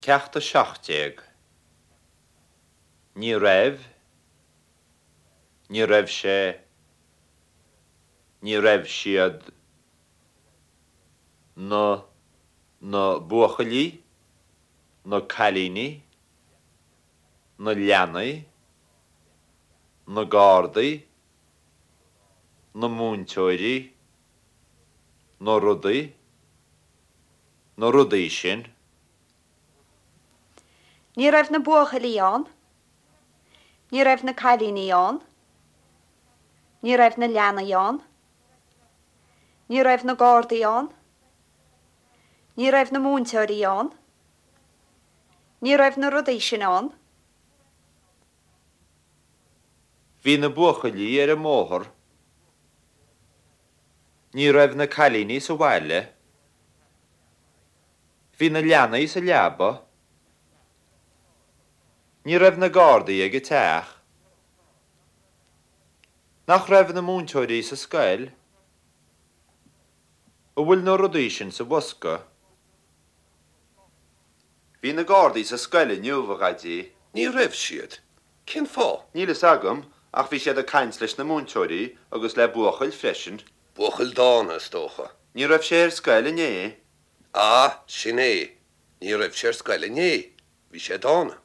Ceacht 17. Ní raibh, Ní raibh sé, Ní raibh siad, na, na buachaillí, na cailíní, na leanaí, na gardaí, na múinteoirí, na rudaí, na rudaí sin. Ní raibh na buachaillí ann. Ní raibh na cailíní ann. Ní raibh na leanaí ann. Ní raibh na gardaí ann. Ní raibh na múinteoirí ann. Ní raibh na rudaí sin ann. Bhí na buachaillí ar an mbóthar. Ní raibh na cailíní sa bhaile. Bhí na leanaí sa leaba. Ní raibh na gardaí ag an teach. Nach raibh na múinteoirí sa scoil? An bhfuil na rudaí sin sa bhosca? Bhí na gardaí sa scoil inniu, a Dhaidí. Ní raibh siad. Cén fáth? Níl fhios agam, ach bhí siad ag caint leis na múinteoirí agus le buachaill freisin. Buachaill dána, is dócha. Ní raibh sé ar scoil inné. Ah, sin é. Ní raibh sé ar scoil inné. Bhí sé dána.